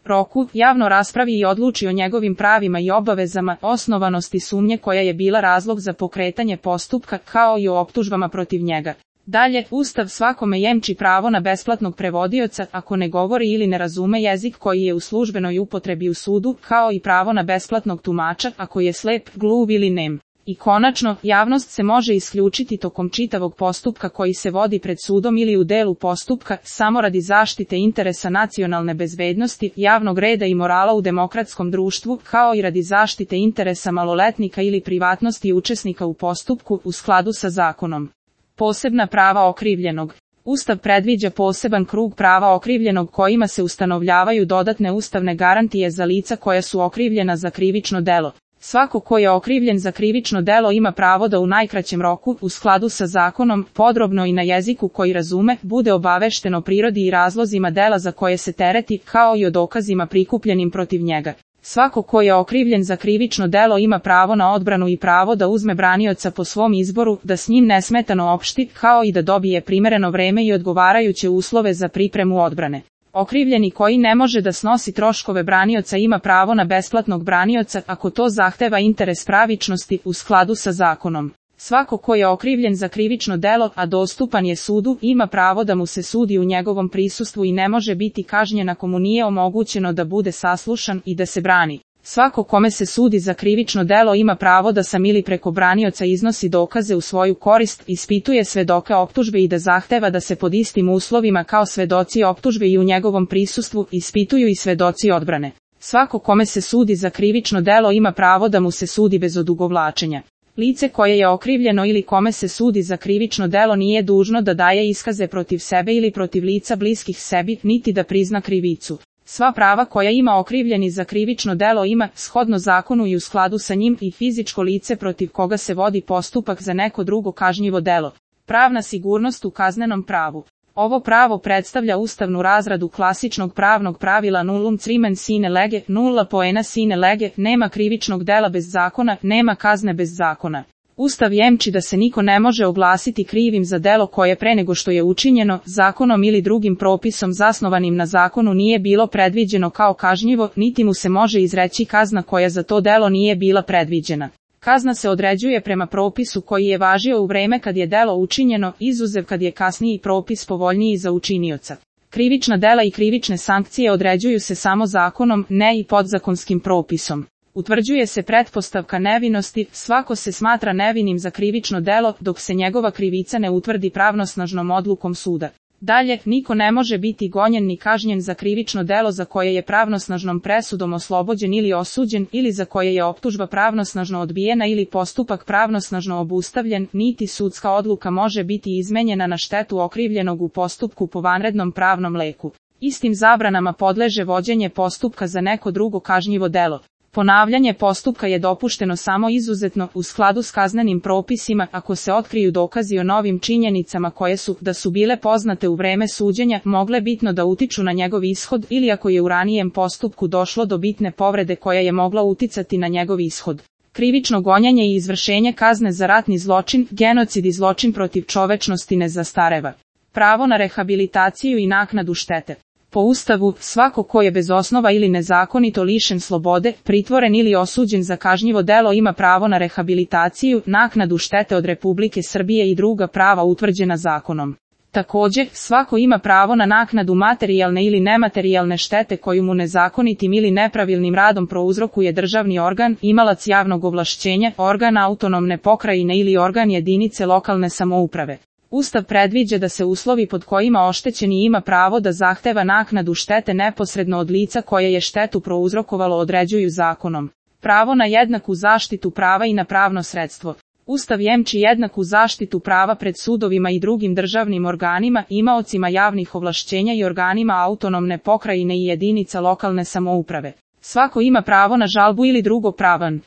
roku, javno raspravi i odluči o njegovim pravima i obavezama, osnovanosti sumnje koja je bila razlog za pokretanje postupka, kao i o optužbama protiv njega. Dalje, Ustav svakome jemči pravo na besplatnog prevodioca ako ne govori ili ne razume jezik koji je u službenoj upotrebi u sudu, kao i pravo na besplatnog tumača ako je slep, gluv ili nem. I konačno, javnost se može isključiti tokom čitavog postupka koji se vodi pred sudom ili u delu postupka, samo radi zaštite interesa nacionalne bezbednosti, javnog reda i morala u demokratskom društvu, kao i radi zaštite interesa maloletnika ili privatnosti učesnika u postupku u skladu sa zakonom. Posebna prava okrivljenog. Ustav predviđa poseban krug prava okrivljenog kojima se ustanovljavaju dodatne ustavne garantije za lica koja su okrivljena za krivično delo. Svako ko je okrivljen za krivično delo ima pravo da u najkraćem roku, u skladu sa zakonom, podrobno i na jeziku koji razume, bude obavešten o prirodi i razlozima dela za koje se tereti, kao i o dokazima prikupljenim protiv njega. Svako ko je okrivljen za krivično delo ima pravo na odbranu i pravo da uzme branioca po svom izboru, da s njim nesmetano opšti, kao i da dobije primereno vreme i odgovarajuće uslove za pripremu odbrane. Okrivljeni koji ne može da snosi troškove branioca ima pravo na besplatnog branioca ako to zahteva interes pravičnosti u skladu sa zakonom. Svako ko je okrivljen za krivično delo, a dostupan je sudu, ima pravo da mu se sudi u njegovom prisustvu i ne može biti kažnjen ako mu nije omogućeno da bude saslušan i da se brani. Svako kome se sudi za krivično delo ima pravo da sam ili preko branioca iznosi dokaze u svoju korist, ispituje svedoke optužbe i da zahteva da se pod istim uslovima kao svedoci optužbe i u njegovom prisustvu ispituju i svedoci odbrane. Svako kome se sudi za krivično delo ima pravo da mu se sudi bez odugovlačenja. Lice koje je okrivljeno ili kome se sudi za krivično delo nije dužno da daje iskaze protiv sebe ili protiv lica bliskih sebi, niti da prizna krivicu. Sva prava koja ima okrivljeni za krivično delo ima, shodno zakonu i u skladu sa njim, i fizičko lice protiv koga se vodi postupak za neko drugo kažnjivo delo. Pravna sigurnost u kaznenom pravu. Ovo pravo predstavlja ustavnu razradu klasičnog pravnog pravila nullum crimen sine lege, nulla poena sine lege, nema krivičnog dela bez zakona, nema kazne bez zakona. Ustav jemči da se niko ne može oglasiti krivim za delo koje pre nego što je učinjeno, zakonom ili drugim propisom zasnovanim na zakonu nije bilo predviđeno kao kažnjivo, niti mu se može izreći kazna koja za to delo nije bila predviđena. Kazna se određuje prema propisu koji je važio u vreme kad je delo učinjeno, izuzev kad je kasniji propis povoljniji za učinioca. Krivična dela i krivične sankcije određuju se samo zakonom, ne i podzakonskim propisom. Utvrđuje se pretpostavka nevinosti, svako se smatra nevinim za krivično delo, dok se njegova krivica ne utvrdi pravnosnažnom odlukom suda. Dalje, niko ne može biti gonjen ni kažnjen za krivično delo za koje je pravnosnažnom presudom oslobođen ili osuđen, ili za koje je optužba pravnosnažno odbijena ili postupak pravnosnažno obustavljen, niti sudska odluka može biti izmenjena na štetu okrivljenog u postupku po vanrednom pravnom leku. Istim zabranama podleže vođenje postupka za neko drugo kažnjivo delo. Ponavljanje postupka je dopušteno samo izuzetno, u skladu s kaznenim propisima, ako se otkriju dokazi o novim činjenicama koje su, da su bile poznate u vreme suđenja, mogle bitno da utiču na njegov ishod, ili ako je u ranijem postupku došlo do bitne povrede koja je mogla uticati na njegov ishod. Krivično gonjenje i izvršenje kazne za ratni zločin, genocid i zločin protiv čovečnosti ne zastareva. Pravo na rehabilitaciju i naknadu štete. Po Ustavu, svako ko je bez osnova ili nezakonito lišen slobode, pritvoren ili osuđen za kažnjivo delo ima pravo na rehabilitaciju, naknadu štete od Republike Srbije i druga prava utvrđena zakonom. Također, svako ima pravo na naknadu materijalne ili nematerijalne štete koju mu nezakonitim ili nepravilnim radom prouzrokuje državni organ, imalac javnog ovlašćenja, organ autonomne pokrajine ili organ jedinice lokalne samouprave. Ustav predviđa da se uslovi pod kojima oštećeni ima pravo da zahteva naknadu štete neposredno od lica koje je štetu prouzrokovalo određuju zakonom. Pravo na jednaku zaštitu prava i na pravno sredstvo. Ustav jemči jednaku zaštitu prava pred sudovima i drugim državnim organima, imaocima javnih ovlašćenja i organima autonomne pokrajine i jedinica lokalne samouprave. Svako ima pravo na žalbu ili drugo pravan